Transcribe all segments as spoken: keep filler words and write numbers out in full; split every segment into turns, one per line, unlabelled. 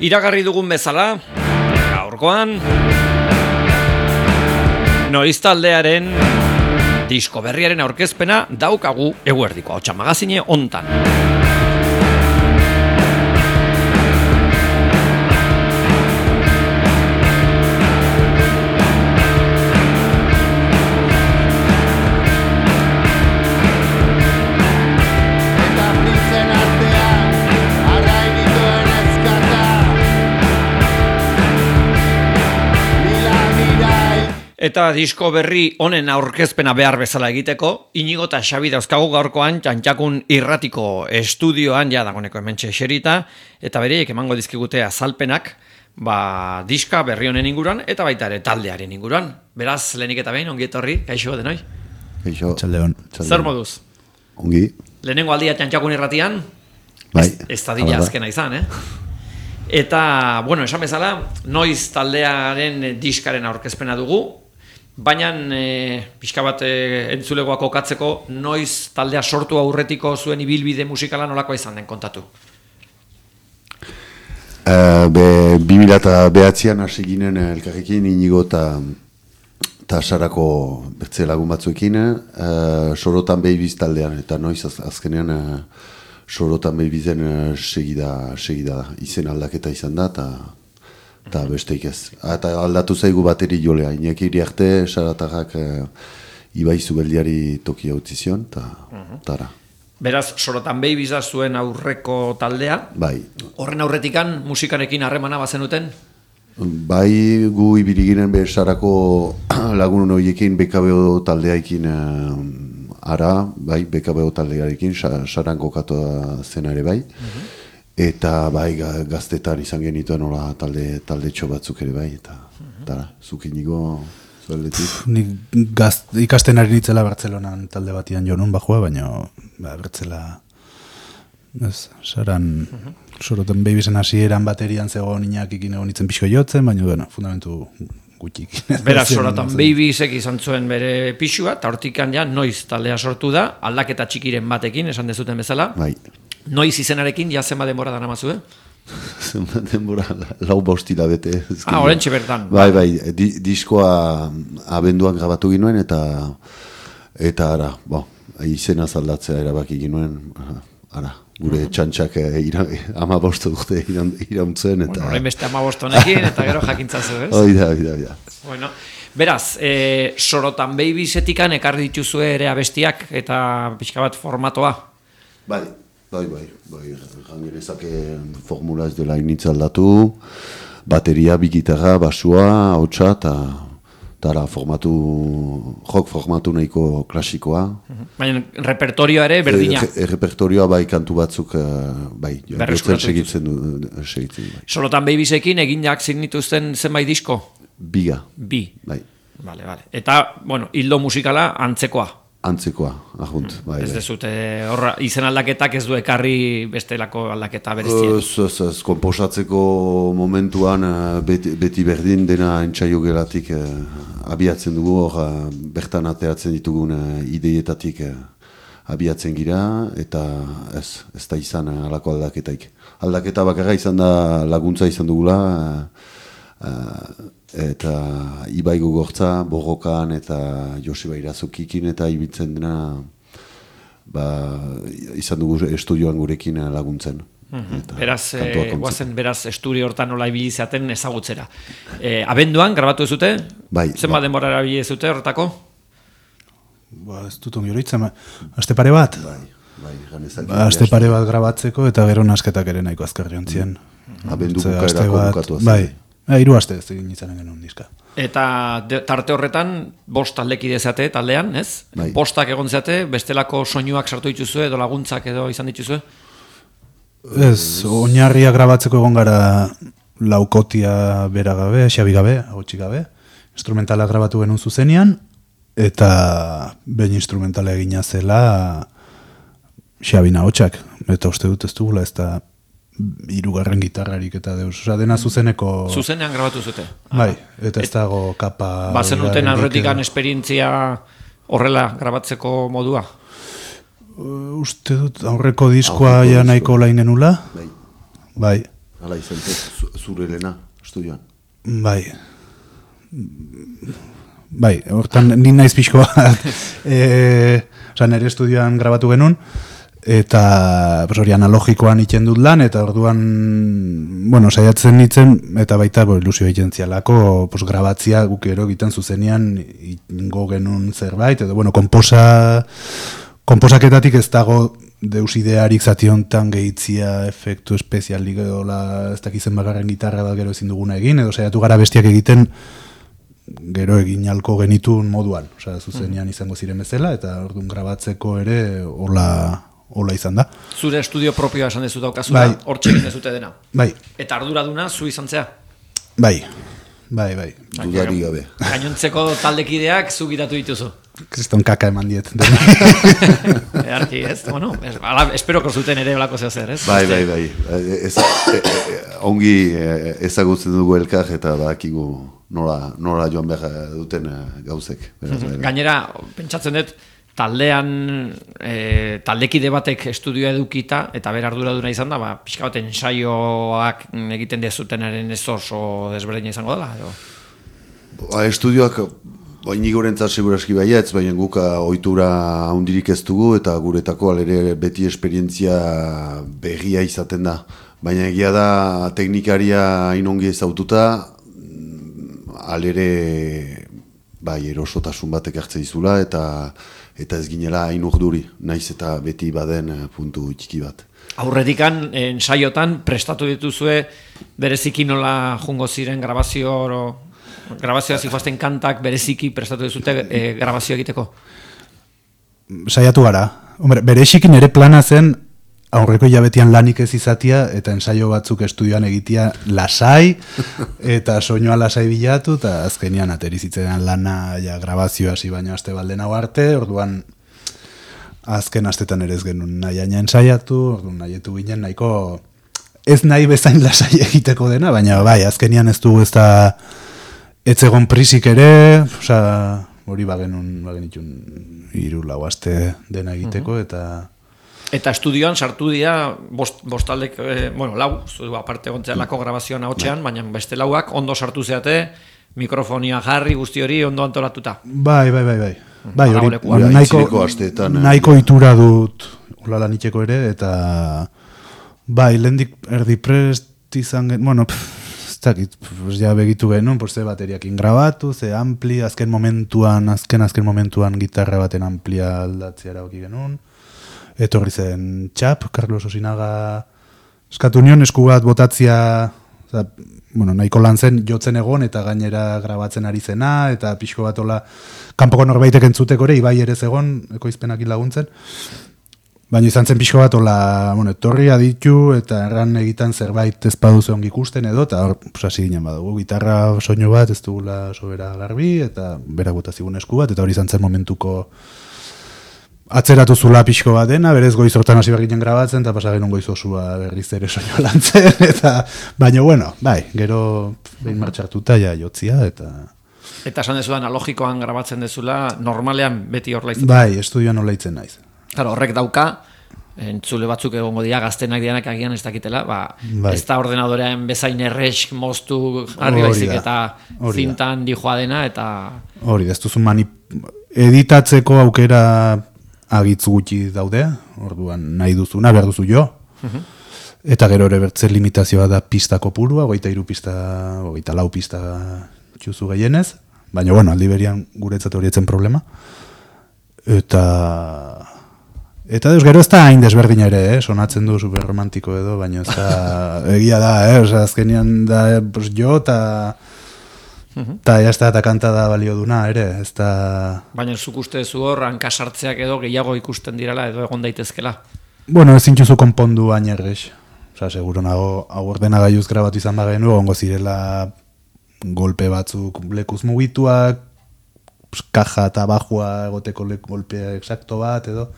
Iragarri dugun bezala, gaurkoan Noiz taldearen disko berriaren aurkezpena daukagu eguerdiko Ahotsa magazine hontan. Eta disko berri honen aurkezpena behar bezala egiteko, Inigo eta Xabi dauzkagu gaurkoan Txantxakun irratiko estudioan, ja dagoeneko hementxe eserita, eta bereiek emango dizkigute azalpenak, ba, diska berri honen inguruan, eta baita ere taldearen inguruan. Beraz, lehenik eta behin, ongi etorri, kaixo denoi?
Kaixo. Txaldeon.
Zer moduz?
Ongi.
Lehenengo aldia Txantxakun irratian,
bai.
Ez da dila azkena izan, eh? Eta, bueno, esan bezala, noiz taldearen diskaren aurkezpena dugu, baina e, pixka bat e, entzulegoak okatzeko noiz taldea sortu aurretiko zuen ibilbide musikala nolakoa izan den kontatu?
Uh, be, bi mila bederatzian hasi ginen elkarrekin Inigo eta Sarako bertze lagun batzuekin uh, Sorotan Babies taldean, eta noiz az, azkenean uh, Sorotan Babiesen uh, segida, segida izen aldaketa izan da, eta eta besteik ez. Eta aldatu zaigu bateri jolea. Iñaki Iriarte, Saratarrak e, Ibai Zubeldiari tokia utzi zion, eta tara.
Beraz, Sorotan Babies da zuen aurreko taldea.
Bai.
Horren aurretikan musikarekin harremana bazenuten?
Bai, gu ibili ginen be Sarako lagun horiekin B K B O taldearekin e, ara, bai, B K B O taldearekin, Saran kokatu zena ere bai. Uh-huh. Eta bai gaztetan izan genituen nola talde taldetxo batzuk ere bai, eta tara, zuk Inigo zueldetik.
Nik ikasten ari nitzela Bartzelonan talde batian jonun bajua, baina ba, bertzela ez, Saran Sorotan Babiesen hasieran baterian zegoen Iñakikin egon itzen pixko jotzen, baina bueno, fundamentu gutxik.
Beraz, Sorotan Babiesek izan zuen bere pixua, eta hortikan ja noiz taldea sortu da, aldaketa txikiren batekin, esan dezuten bezala.
Bai.
Noiz izenarekin, ja zenba denbora dara mazue?
Zenba denbora, lau bostila bete.
Ah, orentxe bertan.
Bai, bai, di, diskoa abenduan grabatu ginuen, eta eta ara, bo, izena zaldatzea erabaki ginuen, ara, gure uh-huh. txantxak ira, ama bostu dute irauntzen, eta...
Bueno, horrein beste ama bostonekin, eta gero jakintzazu, ez?
Oida, oida, oida.
Bueno, beraz, e, Sorotan Babiesetikan ekarri dituzue ere abestiak, eta pixka bat formatoa?
Bai. Bai, bai, bai, jangerezake formula ez dela initza aldatu, bateria, bi gitarra, basua, ahotsa, eta tara, formatu, rock formatu nahiko klasikoa.
Baina repertorioa ere berdina?
E, repertorioa bai kantu batzuk, bai, bertzen segitzen du, segitzen du. Bai.
Sorotan Babiesekin eginak zignituzten zenbait disko?
Biga.
Bi?
Bai.
Vale, vale. Eta, bueno, hildo musikala antzekoa?
Antzekoa, ahunt. Bai,
ez
bai.
dezute, horra, izen aldaketak ez du ekarri bestelako aldaketa berezien?
Ez, ez, ez, komposatzeko momentuan beti, beti berdin dena entsaio gelatik eh, abiatzen dugu, hor bertan ateratzen ditugun eh, ideietatik eh, abiatzen gira, eta ez, ez da izan eh, alako aldaketaik. Aldaketa bakarra izan da laguntza izan dugula, eh, eh, eta Ibai Gogortza, Borrokan eta Joseba Irazukikin eta ibiltzen dena ba, izan dugu estudioan gurekin laguntzen.
Mm-hmm. Beraz, e, guazen beraz estudio hortan nola ibili zaten ezagutzera. E, abenduan, grabatu ez dute?
Bai.
Zenba
ba.
denbora erabili ez dute horretako?
Ba, ez dut ongi horitzen, aste pare bat?
Bai, bai.
Ba, aste pare bat grabatzeko eta gero nasketak ere nahiko azkarri ontzien.
Mm. Abendu bukaerako bukatu azien.
Bai. Ja, hiru aste ez egin izanen genuen diska.
Eta de, tarte horretan, bost taldekide zate taldean, ez?
Bai.
Bostak egon zate, bestelako soinuak sartu dituzue, edo laguntzak edo izan dituzue?
Ez, oinarria grabatzeko egon gara laukotia bera gabe, xabi gabe, agotxi gabe. Instrumentala grabatu genuen zuzenean, eta behin instrumentala egina zela xabi nahotxak. Eta uste dut ez dugula, ez da hirugarren gitarrarik eta deus, oza, dena zuzeneko...
Zuzenean grabatu zute?
Bai, eta ez dago kapa...
Bazen duten aurretikan esperientzia horrela grabatzeko modua?
Uh, uste dut aurreko diskoa ja nahiko lain genula. Bai. Bai.
Hala izan zen, zure lena, estudioan.
Bai. Bai, hortan ni naiz pixko bat. e, Osa, nire estudioan grabatu genuen, eta pues, hori analogikoan iten dut lan, eta orduan, bueno, saiatzen nitzen, eta baita bo, ilusio egiten zialako, pues, grabatzia guk ero egiten zuzenean ingo genuen zerbait, edo, bueno, komposa, komposaketatik ez dago deus idearik zati honetan gehitzia efektu espezialik edo la, ez dakizen bagarren gitarra da gero ezin duguna egin, edo saiatu gara bestiak egiten gero egin halko genitun moduan, osea, zuzenean izango ziren bezala, eta orduan grabatzeko ere hola, hola izan da.
Zure estudio propioa esan dezu daukazula,
bai.
Hortxe egin dezute dena.
Bai.
Eta arduraduna zu izan zea?
Bai, bai, bai.
Dudari gabe.
Gainontzeko taldekideak zu gitatu dituzu.
Kriston kaka eman diet.
Earki, ez? Bueno, es, ala, esperoko zuten ere olako zeo zer, ez?
Bai, bai, bai. Ez, e, e, ongi ezagutzen dugu elkar eta badakigu nola, nola joan behar duten gauzek. Beraz, bai, bai.
Gainera, pentsatzen dut, taldean e, taldekide batek estudioa edukita eta ber arduraduna izan da, ba, pixka bat ensaioak egiten dezutenaren ez oso desberdina izango dela, edo?
Ba, estudioak inigorentzat seguraski baietz, baina guk ohitura handirik ez dugu eta guretako alere beti esperientzia berria izaten da. Baina egia da teknikaria inongi ezaututa, alere bai erosotasun batek hartze dizula eta eta ez ginela hain urduri, naiz eta beti baden puntu txiki bat.
Aurretikan, ensaiotan, prestatu dituzue bereziki nola jungo ziren grabazio oro, grabazioa zijoazten kantak bereziki prestatu dizute e, grabazio egiteko?
Saiatu gara. Hombre, berezikin ere plana zen aurreko hilabetian lanik ez izatia eta ensaio batzuk estudioan egitea lasai eta soinua lasai bilatu eta azkenian aterizitzean lana ja, grabazioa hasi baino aste balden hau arte, orduan azken astetan ere ez genuen nahi aina ensaiatu, orduan nahietu ginen nahiko ez nahi bezain lasai egiteko dena, baina bai, azkenian ez dugu ez da etzegon prisik ere, oza, hori bagenun, bagenitun hiru lau aste dena egiteko, eta...
Eta estudioan sartu dira, bost, bostaldek, eh, bueno, lau, zu aparte gontzealako grabazioan ahotxean, baina beste lauak ondo sartu zeate, mikrofonia jarri guzti hori ondo antolatuta.
Bai, bai, bai, bai. Bai, hori,
hori
nahiko,
asteetan,
nahiko itura dut ulala nitxeko ere, eta bai, lehendik erdi prest izan gen, bueno, pff, ez dakit, pues ja begitu genuen, pues ze bateriakin grabatu, ze ampli, azken momentuan, azken azken momentuan gitarra baten amplia aldatzea erabaki genuen, etorri zen txap, Carlos Osinaga eskatu nion, esku bat botatzia, oza, bueno, nahiko lan zen jotzen egon eta gainera grabatzen ari zena, eta pixko bat ola kanpoko norbaitek entzuteko ere, ibai ere zegon, ekoizpenakin laguntzen. Baina izan zen pixko bat ola, bueno, etorri aditu eta erran egiten zerbait ez paduze ongi ikusten edo, eta hor, pues, hasi ginen badugu, gitarra soinu bat ez dugula sobera garbi, eta berak botazigun esku bat, eta hori izan zen momentuko atzeratu zula pixko bat dena, berez goiz hortan hasi berginen grabatzen, eta pasagen goiz osua berriz ere soinu lantzen, eta baina bueno, bai, gero behin martxartuta ja jotzia, eta...
Eta esan dezudan, analogikoan grabatzen dezula, normalean beti hor laitzen.
Bai, estudioan hor laitzen naiz.
Claro, horrek dauka, entzule batzuk egongo dira, gaztenak dianak agian ez dakitela, ba,
bai.
Ez da ordenadorean bezain erresk moztu jarri baizik eta zintan dijoa dena, eta...
Hori da, ez duzu mani... editatzeko aukera agitz gutxi daude, orduan nahi duzuna, behar duzu jo. Uh-huh. Eta gero ere bertze limitazioa da pista kopurua, goita iru pista, goita lau pista txuzu gehienez, baina bueno, aldi berian guretzat horietzen problema. Eta... Eta deus, gero ez da hain desberdina ere, eh? Sonatzen du superromantiko edo, baina ez da egia da, eh? Osa, azkenian da, eh, pues, jo, eta... Eta uh-huh. Eta kanta da balio duna, ere, ez da...
Baina zuk uste zu hor, hankasartzeak edo gehiago ikusten direla edo egon daitezkela.
Bueno, ez zintxuzu konpondu baina errex. Osa, seguro nago, hau ordena gaiuz grabatu izan bagenu, ongo zirela golpe batzuk lekuz mugituak, kaja eta bajua egoteko golpea exacto bat, edo...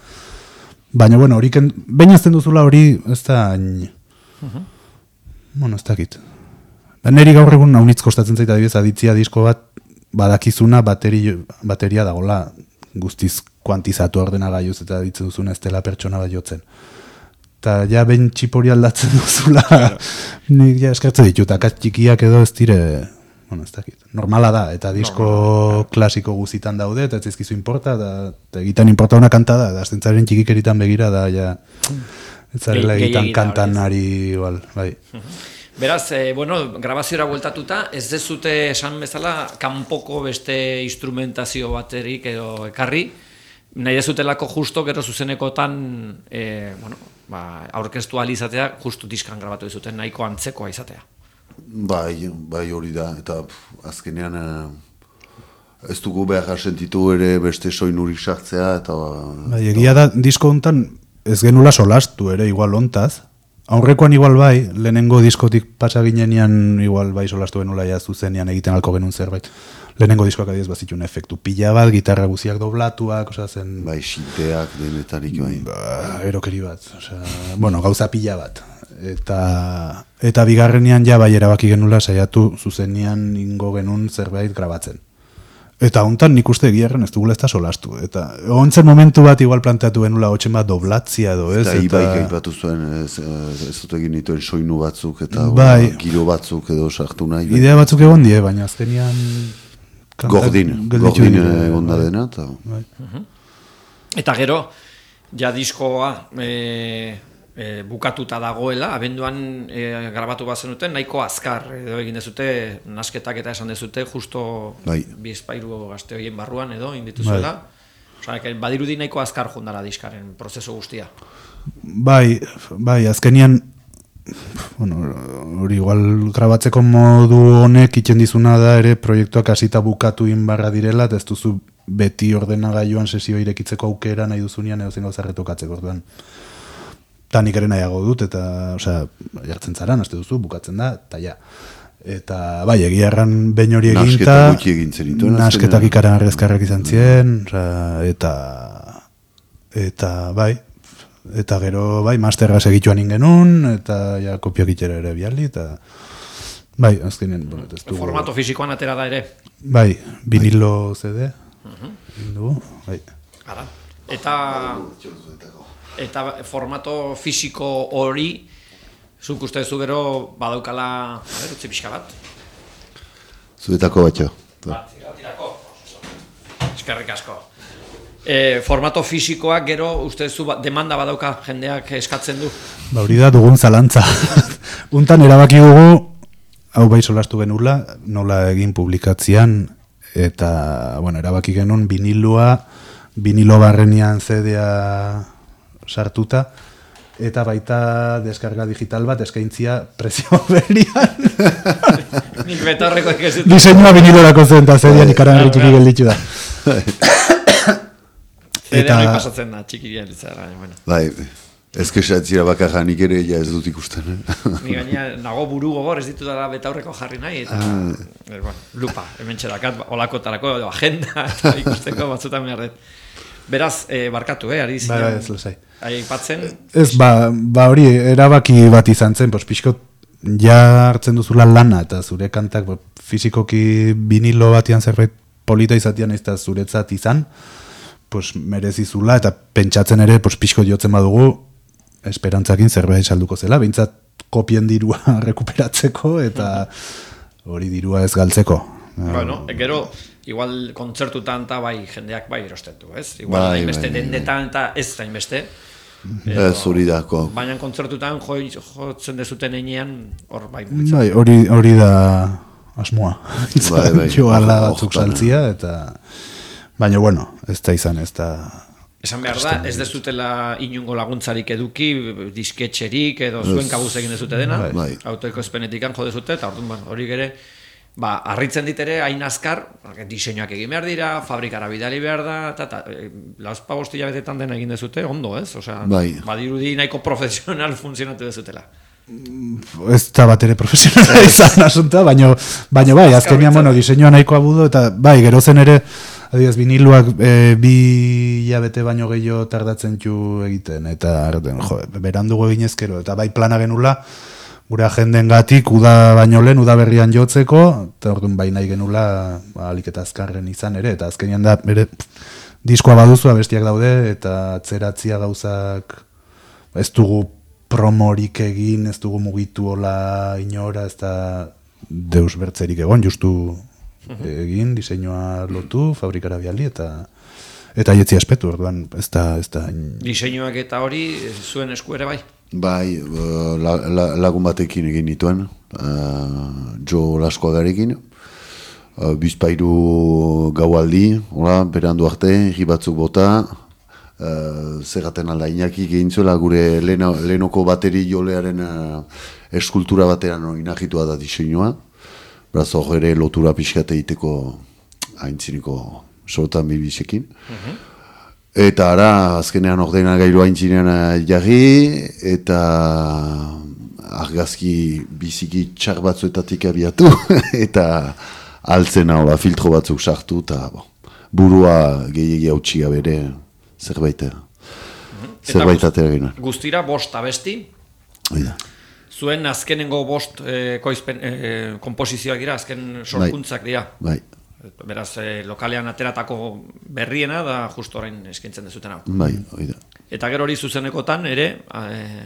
Baina, bueno, hori, baina azten duzula hori, ez da... Uh-huh. Bueno, ez dakit. Neri gaur egun naunitz kostatzen zaita adibidez aditzia disko bat badakizuna bateri, bateria dagola guztiz kuantizatu ordenagailuz eta ditzen duzuna ez dela pertsona bat jotzen. eta ja ben txipori aldatzen duzula, nik ja eskertzen ditut, akats txikiak edo ez dire, bueno, ez dakit, normala da, eta disko no, klasiko guzitan daude, eta ez ezkizu importa, eta, eta egiten importa una kanta da, da zentzaren txikikeritan begira, da, ja, ez zarela egiten kantan ari, igual, bai.
Beraz, eh, bueno, grabaziora bueltatuta, ez dezute esan bezala, kanpoko beste instrumentazio baterik edo ekarri, nahi dezutelako justo, gero zuzenekotan, e, bueno, ba, aurkeztu alizatea, justu diskan grabatu dizuten, nahiko antzekoa izatea.
Bai, bai hori da, eta pff, azkenean eh, ez dugu behar sentitu ere beste soinurik sartzea, eta...
Bai, egia da, disko hontan ez genula solastu ere, igual hontaz. Aurrekoan igual bai, lehenengo diskotik pasa ginenean igual bai solastu genula ja zuzenean egiten alko genuen zerbait. Lehenengo diskoak adiez bazitun efektu pila bat, gitarra guziak doblatuak, osea zen...
Bai, xinteak denetarik bai.
Ba, erokeri bat, osea, bueno, gauza pila bat. Eta, eta bigarrenean ja bai erabaki genula saiatu zuzenean ingo genuen zerbait grabatzen. Eta hontan nik uste egiarren ez dugula ez da solastu. Eta ontzen momentu bat igual planteatu genula hotxen bat doblatzia edo ez.
Eta ibaik aipatu zuen ez, ez dut egin dituen soinu batzuk eta
bai,
giro batzuk edo sartu nahi. Bai.
Idea batzuk egon die, baina azkenian...
Gordin, gordin egon da dena. Eta...
Bai.
Eta gero, ja diskoa e, e, bukatuta dagoela, abenduan e, grabatu bat zenuten, nahiko azkar edo egin dezute, nasketak eta esan dezute, justo
bai.
Bizpairu gazte horien barruan edo, indituzuela. Bai. Osa, badirudi nahiko azkar jondara diskaren prozesu guztia.
Bai, bai, azkenian, bueno, hori igual grabatzeko modu honek itzen dizuna da ere proiektuak hasita bukatu inbarra direla, eta ez duzu beti ordenagailuan sesio irekitzeko aukera nahi duzunean edo zen gauza retokatzeko, orduan. Ta nik ere nahiago dut, eta, osea, jartzen zara, naste duzu, bukatzen da, eta ja. Eta, bai, egia erran behin hori eginta, nasketak ikaran arrezkarrak izan ziren, eta, eta, bai, eta gero, bai, masterra segituan ingenun, eta ja, kopiak itxera ere bialdi, eta, bai, azkenen, bueno, ez dugu.
Formato fisikoan atera da ere.
Bai, vinilo C D, dugu, bai.
Ara, eta, eta formato fisiko hori, zuk uste zu gero badaukala, a ber, utzi pixka bat?
Zuetako batxo.
Bat, tirako. Eskerrik asko. E, formato fisikoak gero uste zu demanda badauka jendeak eskatzen du?
Ba, hori da dugun zalantza. Untan erabaki dugu, hau bai solastu genula, nola egin publikatzean, eta, bueno, erabaki genuen vinilua, vinilo barrenian C D-a sartuta, eta baita deskarga digital bat eskaintzia prezio berian.
Nik betarreko ekezutu.
Diseinua vinilorako zen, eta C D-an ikaran erritxiki gelditu da.
C D-a hori pasatzen da, txikirian ditzara, bueno.
Bai, ez kesatzira bakarra nik ere ja ez dut ikusten. Eh?
Ni gaina nago buru gogor ez ditu dara betaurreko jarri nahi, eta ah. er, bueno, lupa, hemen txerakat, olakotarako edo agenda, eta ikusteko batzutan behar dut. Beraz, eh, barkatu, eh, ari
zinean. Ba, ez lezai.
Aipatzen.
Ez, ba, ba hori, erabaki bat izan zen, pos, pixko, ja hartzen duzula lana, eta zure kantak, bo, fizikoki vinilo batian zerbait polita izatian ez da zuretzat izan, pues, merezizula, eta pentsatzen ere, pues, pixko jotzen badugu, esperantzakin zerbait salduko zela, behintzat kopien dirua rekuperatzeko, eta hori dirua ez galtzeko.
Bueno, gero, igual kontzertutan eta bai jendeak bai erosten du, ez? Igual
bai,
hainbeste
bai,
dendetan eta ez hainbeste.
Ez hori dako.
Baina kontzertutan jo, jotzen dezuten einean, hor bai.
Bai, hori, hori da asmoa.
Bai, bai.
Joala batzuk saltzia, eta... Baina, bueno, ez da izan, ez da...
Esan behar da, ez dezutela inungo laguntzarik eduki, disketxerik, edo zuen kabuz egin dezute dena,
bai.
Autoeko espenetikan jo dezute, eta orduan, hori gere, ba, harritzen ditere, hain azkar, diseinuak egin behar dira, fabrikara bidali behar da, eta, eta lauzpa bostila betetan dena egin dezute, ondo, ez? Osea,
bai.
Badirudi nahiko profesional funtzionatu dezutela.
Ez da bat ere profesionala izan asunta, baina baina bai, azkenian, bueno, diseinua nahiko abudo, eta bai, gero zen ere, adiaz, viniluak e, bi hilabete baino gehiago tardatzen txu egiten, eta jo, berandugu eginezkero, eta bai plana genula, gure agenden gatik, uda baino lehen, uda berrian jotzeko, eta orduan bai nahi genula, ba, alik eta azkarren izan ere, eta azkenian da, bere, diskoa baduzu, abestiak daude, eta atzeratzia gauzak, ez dugu promorik egin, ez dugu mugitu hola inora, ez da deus bertzerik egon, justu egin, diseinua lotu, fabrikara biali, eta eta jetzi aspetu, orduan, ez da... Ez da...
Diseinuak eta hori zuen esku ere bai?
Bai, la, la, lagun batekin egin nituen, uh, Jo Laskoagarekin, uh, bizpairu gaualdi, hola, berandu arte, herri batzuk bota, uh, zerraten alda inaki egin zuela gure leno, lenoko bateri jolearen uh, eskultura batean inahitua da diseinua, beraz hor ere lotura pixkate egiteko haintziniko sortan bibisekin. Uh-huh. Eta ara, azkenean ordena gailu haintzinean jarri, eta argazki biziki txar batzuetatik abiatu, eta altzen hola filtro batzuk sartu, eta bo, burua gehiagi hautsi gabere zerbait, uh-huh. zerbait atera ginen.
Guztira bost abesti?
Oida.
Zuen azkenengo bost eh, koizpen, eh, komposizioak dira, azken sorkuntzak dira.
Bai.
Beraz, eh, lokalean ateratako berriena da justo orain eskaintzen dezuten hau.
Bai, oida.
Eta gero hori zuzenekotan ere, eh,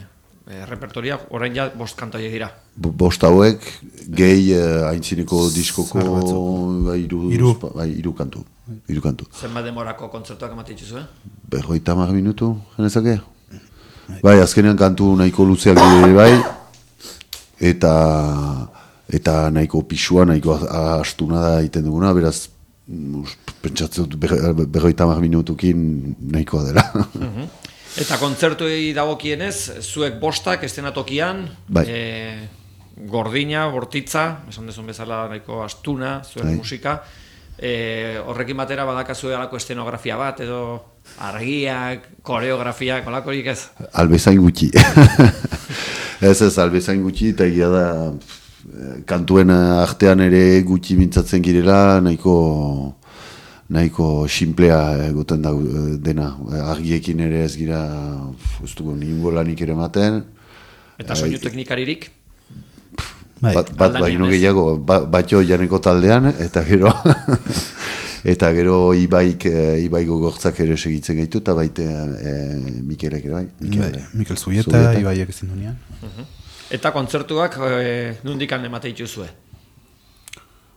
eh, repertoria orain ja bost kantoiek dira.
Bo- Bost hauek, gehi eh, haintzineko diskoko bai, iru,
Hiru.
bai, iru kantu. Iru kantu.
Zenbat demorako kontzertuak ematen dituzu, eh?
Berroita hamar minutu, genezake? Bai, azkenean kantu nahiko luzeak dire bai, eta eta nahiko pisua, nahiko astuna da egiten duguna, beraz, pentsatzen dut berroita hamar minutukin nahikoa dela.
Uh-huh. Eta kontzertuei dagokienez, zuek bostak estenatokian,
Bai.
e, gordina, bortitza, esan dezun bezala nahiko astuna, zuen
Bai. musika,
e, horrekin batera badakazue alako estenografia bat, edo argiak, koreografiak, olakorik ez?
Albezain gutxi. ez ez, albezain gutxi, eta egia da, kantuen artean ere gutxi mintzatzen girela, nahiko nahiko simplea egoten da dena. Argiekin ere ez gira, ez dugu ningo lanik ere ematen.
Eta soinu teknikaririk?
Bai.
Bat, bat
Aldanean
baino
ez.
gehiago, ba, batxo janeko taldean, eta gero eta gero ibaik, e, ibai gogortzak ere segitzen gaitu, eta baite e, Mikelek ere bai. Mikel,
Bai, Mikel Zubieta,
Zubieta.
Ibaiek ezin dunean.
Uh-huh. Eta kontzertuak e, nundikan emate dituzue?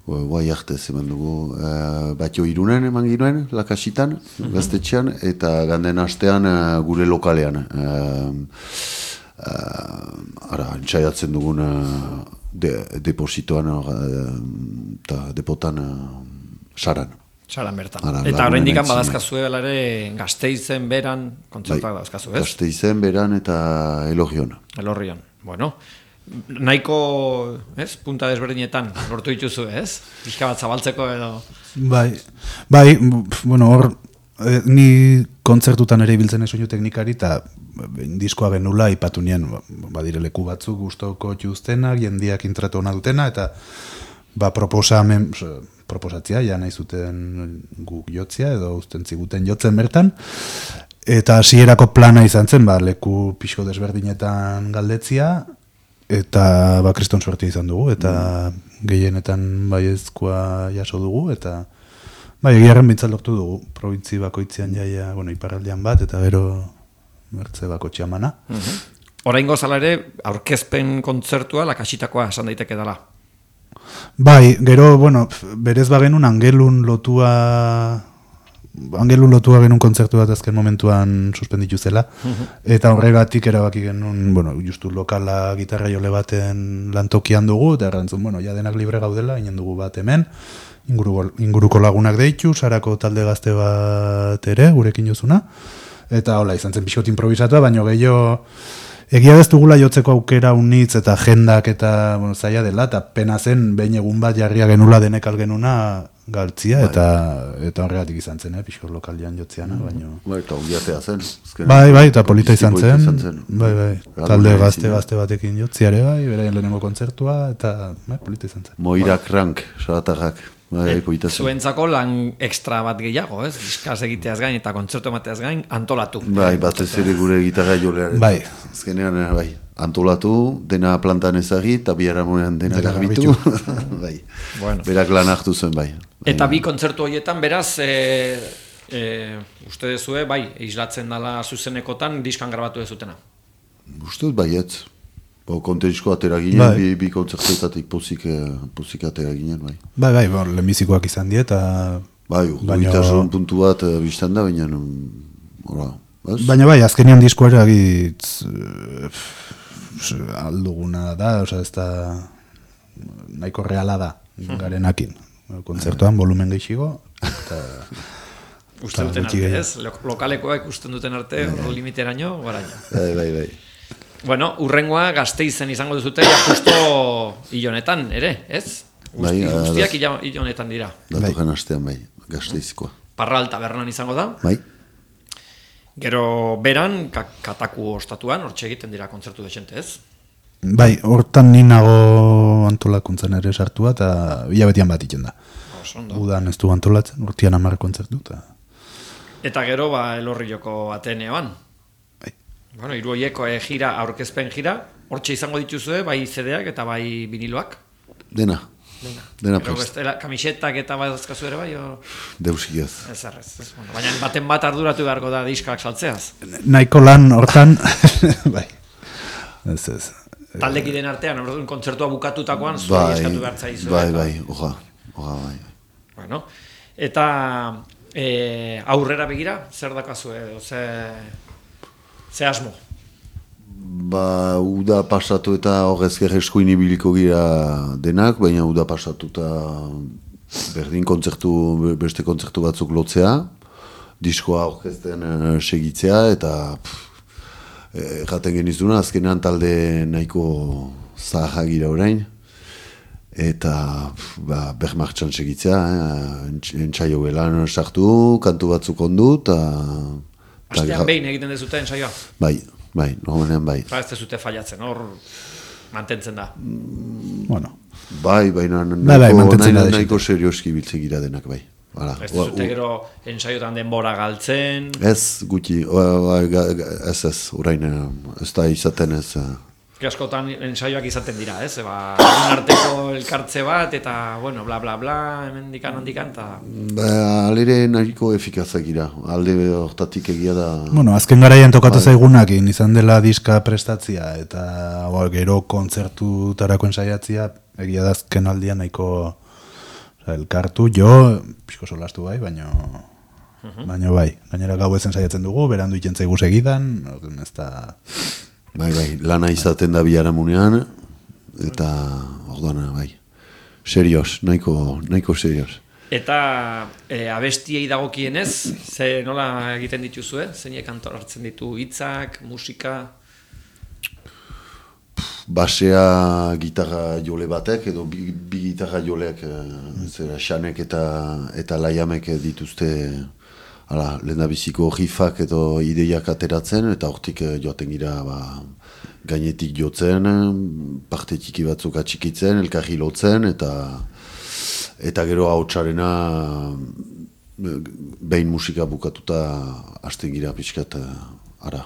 Guai arte eman dugu, uh, batio irunen eman ginuen, lakasitan, uh-huh. gaztetxean, eta ganden astean uh, gure lokalean. Uh, uh, ara, entzaiatzen dugun uh, de, depositoan eta uh, depotan uh, saran.
Saran bertan.
Ara,
eta orain dikan
lagunen
badazkazue ere Gasteizen beran kontzertuak
bai,
dauzkazu, ez?
Gasteizen, beran eta Elogion.
Elorrion. Bueno, nahiko, ez, punta desberdinetan lortu dituzu, ez? Pixka bat zabaltzeko edo...
Bai, bai, bueno, hor, eh, ni kontzertutan ere ibiltzen soinu teknikari, eta diskoa genula ipatu nien, badire leku batzuk gustoko txuztenak, jendiak intratu ona dutena, eta ba, proposamen, proposatzia, ja nahi zuten guk jotzia, edo usten ziguten jotzen bertan, eta hasierako plana izan zen, ba, leku pixko desberdinetan galdetzia, eta ba, kriston suerte izan dugu, eta mm. gehienetan baiezkoa jaso dugu, eta bai, egiarren bintzat lortu dugu, probintzi bakoitzean jaia, bueno, iparraldean bat, eta gero mertze bako txamana.
Uh-huh. Oraingo zala ere, aurkezpen kontzertua lakasitakoa esan daiteke dela.
Bai, gero, bueno, berez bagenun angelun lotua, angelun lotua genuen kontzertu bat azken momentuan suspenditu zela, uh-huh. eta horregatik erabaki genuen, bueno, justu lokala gitarra jole baten lantokian dugu, eta errantzun, bueno, ja denak libre gaudela, inen dugu bat hemen, inguruko, inguruko lagunak deitu, sarako talde gazte bat ere, gurekin jozuna, eta hola, izan zen pixot improvisatua, baina gehiago, egia ez dugula jotzeko aukera unitz eta jendak eta bueno, zaila dela, eta pena zen behin egun bat jarria genula denek algenuna galtzia, bai. eta eta horregatik izan zen, eh, pixkor lokalian jotziana, mm. baino...
Bai, eta ungiatea zen. Ezken,
bai, bai, eta polita izan zen,
izan zen.
bai, bai, talde gazte-gazte batekin jotziare, bai, beraien lehenengo kontzertua, eta bai, polita izan zen.
Moirak rank, salatarrak. Bai, polita zen.
Zuentzako lan ekstra bat gehiago, ez? Diskaz egiteaz gain eta kontzertu emateaz gain antolatu.
Bai, batez ere gure gitarra jolearen.
Bai.
Azkenean, bai, antolatu, dena plantan ezagi, eta biharamonean dena garbitu. bai.
Bueno.
Berak lan hartu zen, bai.
Eta bi kontzertu horietan, beraz, e, e, uste dezue, bai, islatzen dala zuzenekotan diskan grabatu dezutena.
Uste dut baietz. Bo, kontentzko atera ginen,
Bai.
bi, bi kontzertuetatik pozik, eh, pozik atera ginen, bai.
Bai, bai, bon, lehenbizikoak izan die, eta...
Bai,
Baina-
urduitasun puntu bat uh, biztan da, baina, mm, ora, baz?
Baina bai, azkenean diskoa eragitz alduguna da, oza, ez da nahiko reala da garenakin. Kontzertuan volumen gehiago, eta...
Uste duten arte, ez? Lo- Lokalekoak usten duten arte, hor limiteraino, baraino.
Bai, bai, bai.
Bueno, urrengoa Gasteizen izango duzute, ja justo hilonetan, ere, ez?
Bai,
Guzti,
ah,
guztiak hila- hilonetan dira.
Datokan astean, bai, Gasteizkoa.
Parral tabernan izango da.
Bai,
Gero beran, ka- kataku ostatuan, hortxe egiten dira kontzertu desente, ez?
Bai, hortan ni nago antolakuntzan ere sartua, eta hilabetian bat iten da.
Oso ondo.
Udan ez du antolatzen, urtian hamar kontzertu, eta...
Eta gero, ba, Elorrioko Ateneoan.
Bai.
Bueno, hiru horieko e, gira, aurkezpen gira, hortxe izango dituzue, bai C D-ak eta bai viniloak.
dena,
Dena.
dena
Gero
prest,
bestela, kamisetak eta bai dazkazu ere bai, o...
deusikez.
Ez errez, ez. Bueno, baina baten bat arduratu beharko da diskak saltzeaz.
Nahiko lan hortan, bai, ez ez.
Taldekideen artean, orduan kontzertua bukatutakoan, zuei
Bai,
eskatu behar zaizu.
bai,
eta-
bai, oja, oja, bai.
Bueno, eta e, aurrera begira, zer dakazu edo, ze, ze asmo?
Ba, uda pasatu eta horrezker eskuin ibiliko gira denak, baina uda pasatu eta berdin kontzertu, beste kontzertu batzuk lotzea, diskoa orkesten uh, segitzea, eta pff, erraten genizuna, azkenean talde nahiko zaharra gira orain, eta pff, ba, bermartxan segitzea, eh? Entsaio gelan sartu, kantu batzuk ondu, eta... eta
Astean
gra-
behin egiten dezute ensaioa.
Bai, bai, normalean bai.
Ba, ez dezute fallatzen, hor mantentzen da.
Bueno,
Bai, baina
Bai, bai,
nahiko,
mantentzen da
nahiko,
desente.
nahiko serioski biltzen gira denak, bai. Hala,
Ez
ua-
dezute
u-
gero ensaiotan denbora galtzen,
Ez, gutxi, ua- ua- ga- ga- ez ez, orain eh, ez da izaten ez. eh.
askotan ensaioak izaten dira, ez? Ba, egun arteko elkartze bat, eta, bueno, bla, bla, bla, hemen dikan, handikan, eta...
Ba, alere nahiko efikazak gira, alde hortatik egia da.
bueno, azken garaian tokatu zaigunakin, izan dela diska prestatzia, eta ba, gero kontzertutarako ensaiatzia, egia da azken aldian nahiko oza, elkartu, jo, pixko solastu bai, baino... Baina bai, gainera gau ezen saiatzen dugu, berandu iten zaigu segidan, orduan ez da...
Bai, bai, lana izaten da biharamunean, eta orduan, bai, serios, nahiko, nahiko serios.
Eta e, abestiei dagokienez, ze nola egiten dituzue? Zeinek antolatzen ditu hitzak, musika...
Basea gitarra jole batek, edo bi, bi gitarra joleak, eh, zera, xanek eta, eta laiamek dituzte, hala, lehendabiziko rifak edo ideiak ateratzen, eta hortik eh, joaten gira, ba, gainetik jotzen, parte txiki batzuk atxikitzen, elkarri lotzen, eta eta gero hautsarena behin musika bukatuta hasten gira pixkat, eh, ara.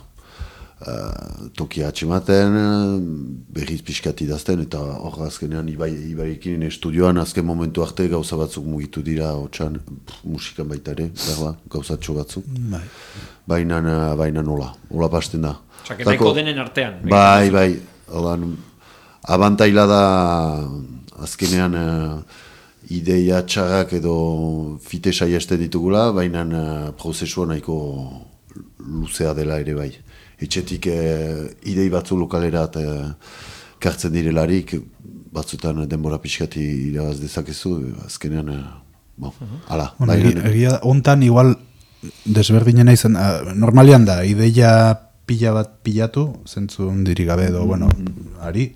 Uh, tokia atxematen, berriz pixkat idazten, eta hor azkenean ibai, ibairekin estudioan azken momentu arte gauza batzuk mugitu dira hotxan, musikan baita ere, berba, gauzatxo batzuk.
Bai.
Baina, baina nola, hola pasten da.
Osa, nahiko denen artean.
Bai, bai, holan, abantaila da azkenean uh, ideia txarrak edo fite saiesten ditugula, baina uh, prozesua nahiko luzea dela ere bai. Etxetik eh, idei batzu lokalerat eh, kartzen direlarik, batzutan denbora pixkati irabaz dezakezu, azkenean, eh, bon, ala.
Bueno,
bai,
egia, egia hontan igual desberdinena izan, uh, normalian da, ideia pila bat pilatu, zentzu ondiri gabe edo, bueno, ari,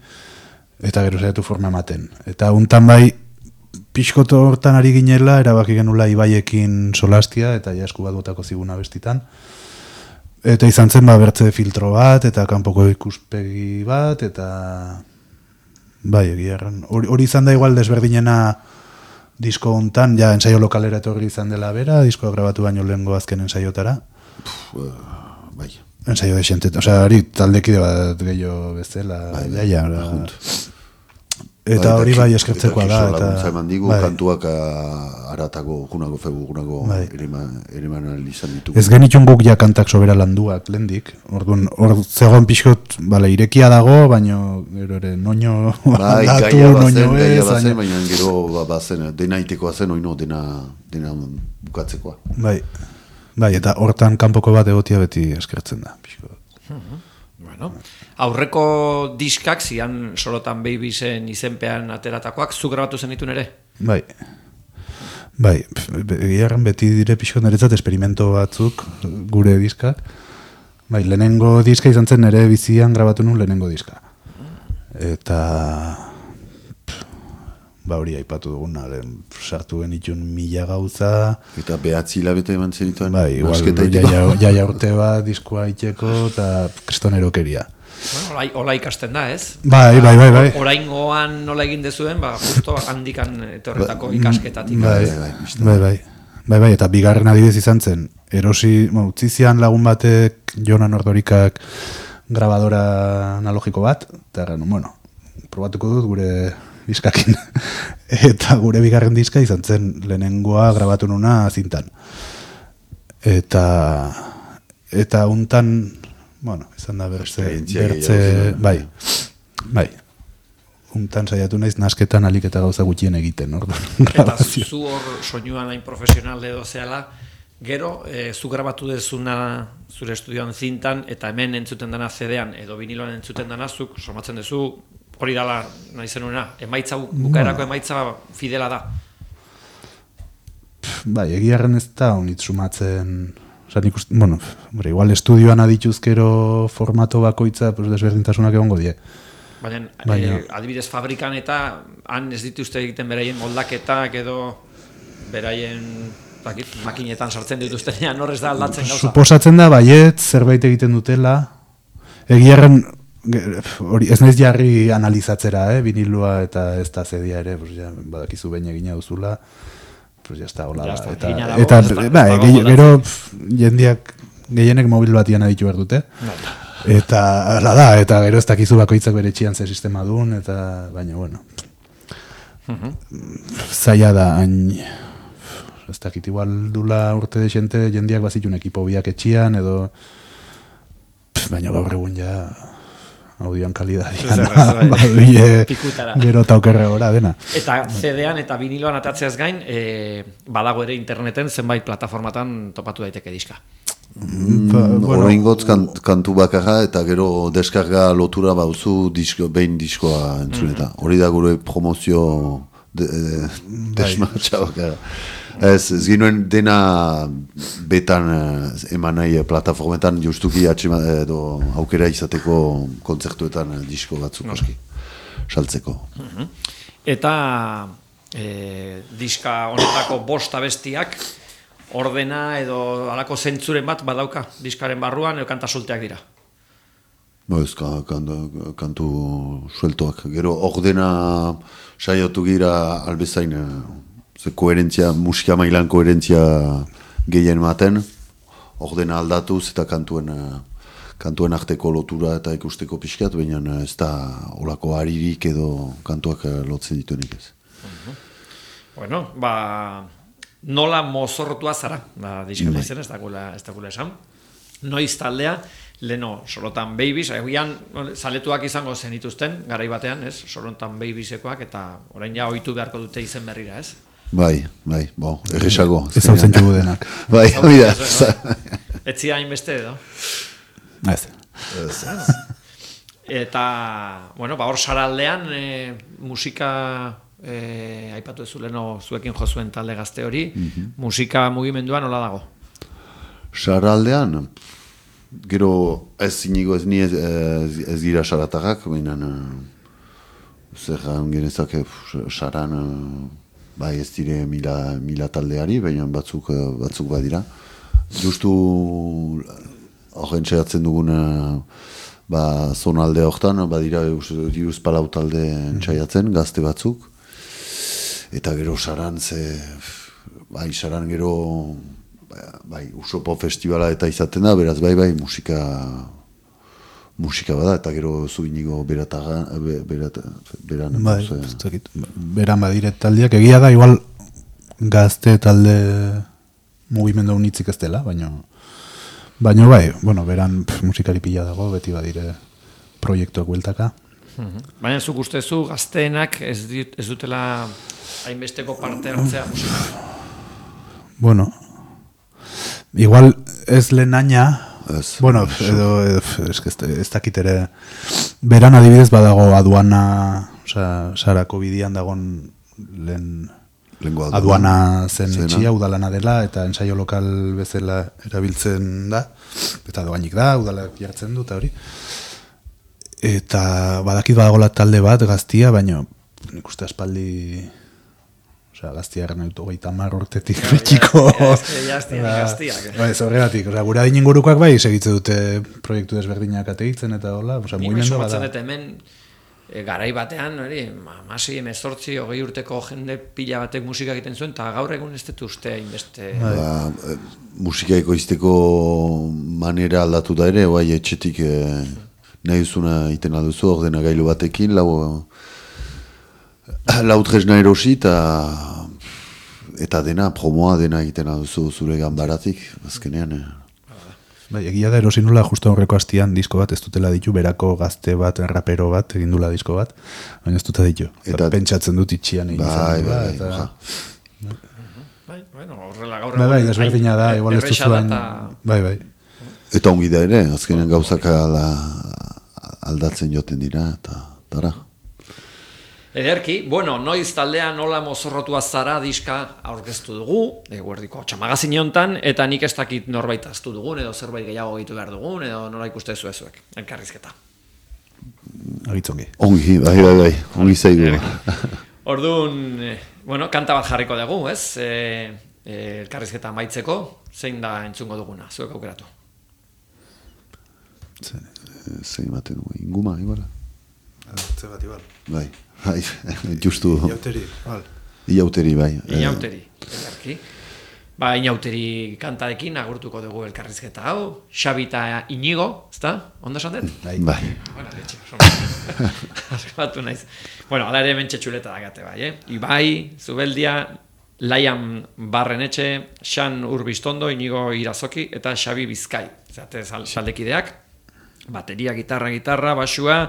eta gero zaitu forma ematen. Eta hontan bai, pixkoto hortan ari ginela, erabaki genula ibaiekin solastia, eta jasku bat botako ziguna bestitan. Eta izan zen ba, bertze filtro bat, eta kanpoko ikuspegi bat, eta bai, egia erran. Hori hori izan da igual desberdinena disko hontan, ja ensaio lokalera etorri izan dela bera, diskoa grabatu baino lehengo azken ensaiotara.
Pff, bai,
Ensaio desente, osea, hori taldekide bat gehiago bezala,
bai,
jaia,
bai,
ora.
junt.
Eta hori bai eskertzekoa da.
Eta laguntza eman digu,
bai.
kantuak aratago, junago, fegu, junago
bai.
eriman izan ditugu.
Ez genitxun guk ja kantak sobera landuak lendik. Orduan, hor zegoen pixkot, bale, irekia dago, baina gero ere noño
bai,
aldatu,
gaia
noño
bazen, gaia
ez.
bazen, baina gero ba, bazen, dena itekoa zen, oino, dena, dena bukatzekoa.
Bai, bai, eta hortan kanpoko bat egotia beti eskertzen da. Pixkot.
Bueno, aurreko diskak zian Sorotan Babiesen izenpean ateratakoak, zu grabatu zenitun ere?
Bai, bai, egiarren beti dire pixko niretzat esperimento batzuk gure diskak. Bai, lehenengo diska izan zen nire bizian grabatu nun lehenengo diska. Eta ba hori aipatu duguna, sartu genitun mila gauza.
Eta behatzi hilabete eman zenituen.
Bai, igual, jaia urte bat diskoa itxeko eta kristonerokeria.
Bueno, olai, ola ikasten da, ez?
Bai, bai, bai, bai.
Oraingoan nola egin dezuen, ba, justo handikan etorretako ikasketatik.
Bai, bai, bai, bai. Bai, bai, eta bigarren adibidez izan zen, erosi, bueno, utzizian lagun batek Jonan Ordorikak grabadora analogiko bat, eta bueno, probatuko dut gure diskakin. Eta gure bigarren diska izan zen lehenengoa grabatu nuna zintan. Eta eta untan, bueno, izan da bertze, bertze, bai, bai. Untan saiatu naiz nasketan alik eta gauza gutxien egiten, orduan.
Eta zu hor soinuan hain profesional edo zehala, gero, e, zu grabatu dezuna zure estudioan zintan, eta hemen entzuten dana C D-an edo viniloan entzuten dana, zuk somatzen dezu, hori dala nahi zenuena, emaitza, bukaerako emaitza fidela da.
Bai, egiarren ez da honit sumatzen, oza, nik uste, bueno, bre, igual estudioan adituzkero formato bakoitza, pues desberdintasunak egongo die.
Baina, Baina. Eh, adibidez fabrikan eta han ez dituzte egiten beraien moldaketak edo beraien dakit, makinetan sartzen dituztenean horrez da aldatzen gauza.
Suposatzen da, baiet, zerbait egiten dutela, egiarren, hori ez naiz jarri analizatzera, eh, vinilua eta ez da zedia ere, pues ja, badakizu behin egina duzula, pues ja está, hola,
ja,
eta,
dago,
eta,
eta
ba, gero jendiak, gehienek mobil batian aditu behar dute, eta, ala da, eta gero ez dakizu bakoitzak bere txian ze sistema duen, eta, baina, bueno, zaila da, hain, ez dakit, igual dula urte de xente, jendiak bazitun ekipo biak etxian, edo, baina gaur egun ja, audioan kalidadian, gero eta okerre gora, dena.
Eta C D-an eta viniloan atatzeaz gain, e, badago ere interneten zenbait plataformatan topatu daiteke diska.
Mm, bueno, Oraingotz kant, kantu bakarra eta gero deskarga lotura bauzu disko, behin diskoa entzuneta. Mm. Hori da gure promozio de, de, desmatxa bakarra. Ez, ez ginoen dena betan eman nahi plataformetan justuki atxema edo aukera izateko kontzertuetan disko batzuk oski, saltzeko.
Uh-huh. Eta e, diska honetako bost abestiak ordena edo halako zentzuren bat badauka diskaren barruan edo kanta solteak dira?
Ba ez, kantu, kantu sueltoak. Gero ordena saiatu gira albezain ze koherentzia, musika mailan koherentzia gehien maten, ordena aldatuz eta kantuen, kantuen arteko lotura eta ikusteko pixkat, baina ez da olako haririk edo kantuak lotzen dituenik ez.
Uh-huh. Bueno, ba, nola mozorrotua zara, ba, diskatu izen, ez dakula, ez dakula esan. Noiz taldea, leno Sorotan Babies, egian zaletuak izango zenituzten, garai batean, ez, Sorotan Babiesekoak, eta orain ja ohitu beharko dute izen berrira, ez?
Bai, bai, bo, erresago.
Ez hau zentxugu denak.
Bai, hori da.
Etzia hainbeste edo?
Ez.
Eta, bueno, ba hor saraldean e, musika e, aipatu ez zuleno zuekin jo zuen talde gazte hori, mm-hmm. musika mugimendua nola dago?
Saraldean, gero ez inigo ez ni ez, ez, ez gira saratarrak, baina zer genezak saran bai ez dire mila, mila taldeari, baina batzuk, batzuk badira. Justu horren txegatzen dugun ba, zonalde horretan, badira diruz palau talde txaiatzen, gazte batzuk. Eta gero saran, ze, bai, saran gero bai, Usopo festivala eta izaten da, beraz bai, bai, musika musika bada, eta gero zu inigo berataga, berata, beran.
Bai, ez dakit, beran badire taldeak, egia da, igual gazte talde mugimendu unitzik ez dela, baina baina bai, bueno, beran pff, musikari pila dago, beti badire proiektuak bueltaka.
Baina zuk ustezu gazteenak ez, dit, ez dutela hainbesteko parte hartzea musika?
Bueno, igual ez lehenaina,
Ez,
bueno, edo, edo ez, ez, ez dakit ere, beran adibidez badago aduana, osea, Sarako bidian dagon lehen
Lengo
aduana zen
zena.
etxia, udalana dela, eta ensaio lokal bezala erabiltzen da, eta doainik da, udalak jartzen du, eta hori. Eta badakit badagola talde bat gaztia, baina nik uste aspaldi, osea, gaztia erren dut hogeita hamar urtetik betxiko.
Gaztiak.
Bai, horregatik, osea, gure adin ingurukoak bai segitze dute proiektu desberdinak ategitzen eta hola, osea,
Nik
mugimendu
somatzen
bada.
dut hemen e, garai batean, hori, amasi, emezortzi, hogei urteko jende pila batek musika egiten zuen, eta gaur egun ez dut uste hainbeste.
Ba, e, musika ekoizteko manera aldatu da ere, bai etxetik e, nahi duzuna iten alduzu, ordena gailu batekin, lau, lau tresna erosi, eta eta dena, promoa dena egiten alduzu zure ganbaratik, azkenean. E.
Bai, egia da erosi nula justo aurreko astian disko bat, ez dutela ditu, berako gazte bat, rapero bat, egin dula disko bat, baina ez dute ditu. Eta pentsatzen dut itxian egin
bai,
izan dula,
bai,
eta...
ja.
Bai, bueno, horrela gaur
Bai, bai,
egun
desberdina da,
hain
igual ez
erresa
duzuan...
da
Bai, bai.
Eta ongi da ere, azkenean gauzak ala, aldatzen joten dira, eta tara.
Ederki, bueno, noiz taldea nola mozorrotua zara diska aurkeztu dugu, eguerdiko txamagazin hontan, eta nik ez dakit norbait aztu dugun, edo zerbait gehiago egitu behar dugun, edo nola ikuste zuezuek, elkarrizketa.
Agitzongi.
Ongi, bai, bai, bai, ongi zaigu.
Orduan, eh, bueno, kanta bat jarriko dugu, ez? E, e, elkarrizketa amaitzeko, zein da entzungo duguna, zuek aukeratu.
Zein baten dugu, inguma, igual.
Ze bat, igual.
Bai, bai, justu.
Iauteri, igual.
Iauteri, bai.
Inauteri, elkarki. Ba, inauteri kantarekin agurtuko dugu elkarrizketa hau. Xabi eta Inigo, ezta? Ondo esan dut?
Bai. Bai.
Bueno, letxe, askatu naiz. Bueno, ala ere hemen txetxuleta dagate bai, eh? Ibai, Zubeldia, Laian Barrenetxe, Xan Urbistondo, Inigo Irazoki eta Xabi Bizkai. Zate saldekideak, bateria, gitarra, gitarra, basua,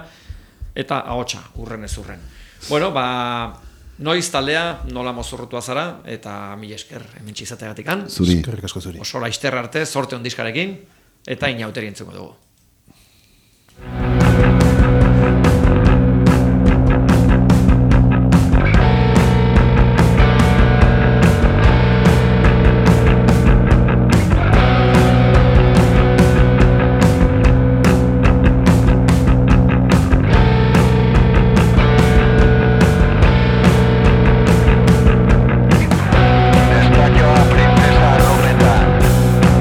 eta ahotsa, urren ez urren. Bueno, ba, noiz taldea, nola mozorrotua zara, eta mila esker hemen txizateagatikan.
Zuri.
Eskerrik asko zuri.
Oso laizter arte, sorte ondizkarekin, eta inauteri entzuko dugu.
Princesa Rometa,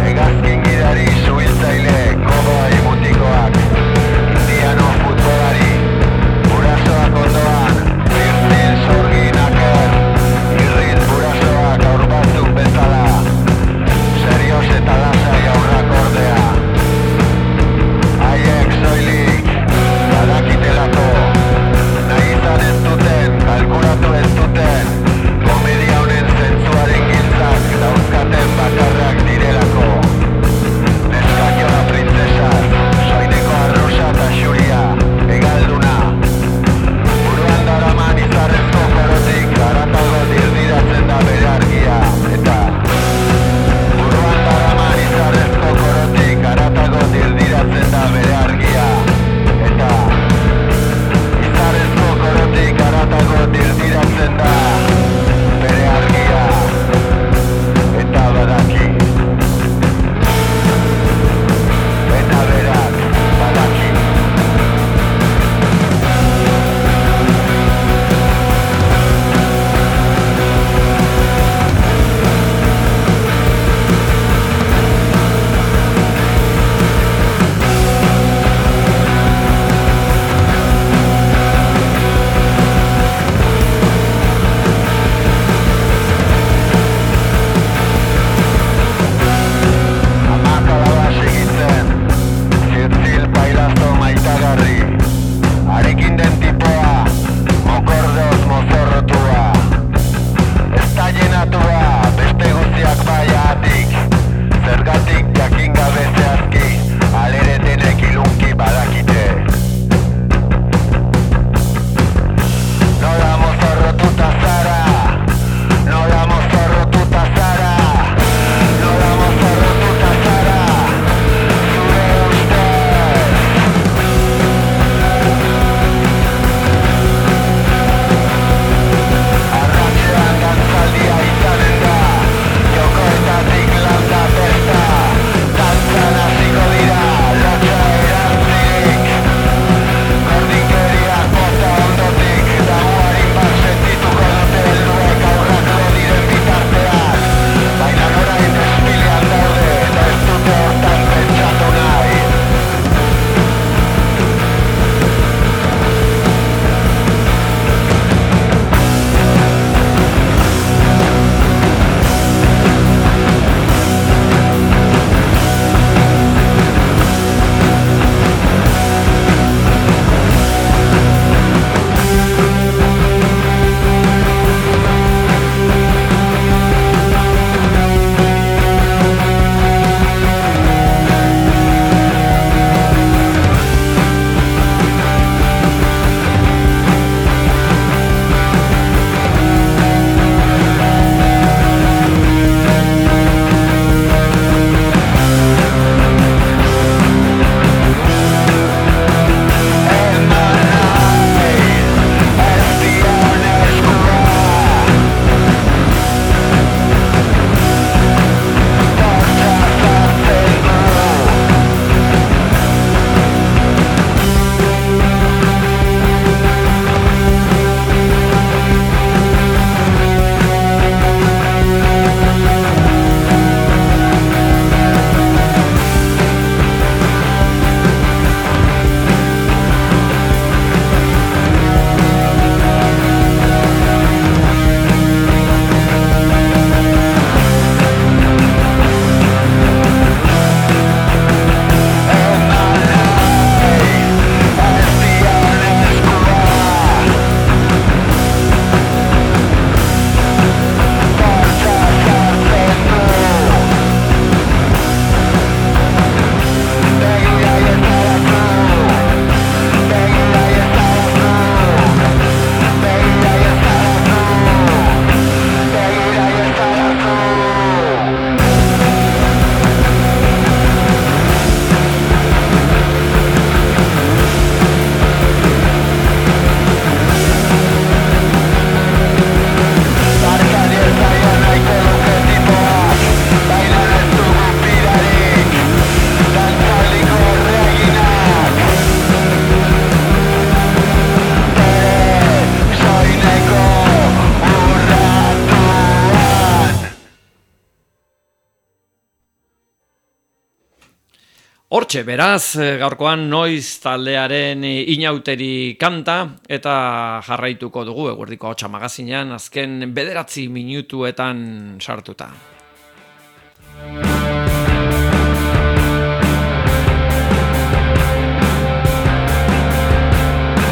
hegazkin gidari zuhiltzaile, kodoa
Hortxe, beraz, gaurkoan noiz taldearen inauteri kanta eta jarraituko dugu eguerdiko hotsa magazinean azken bederatzi minutuetan sartuta.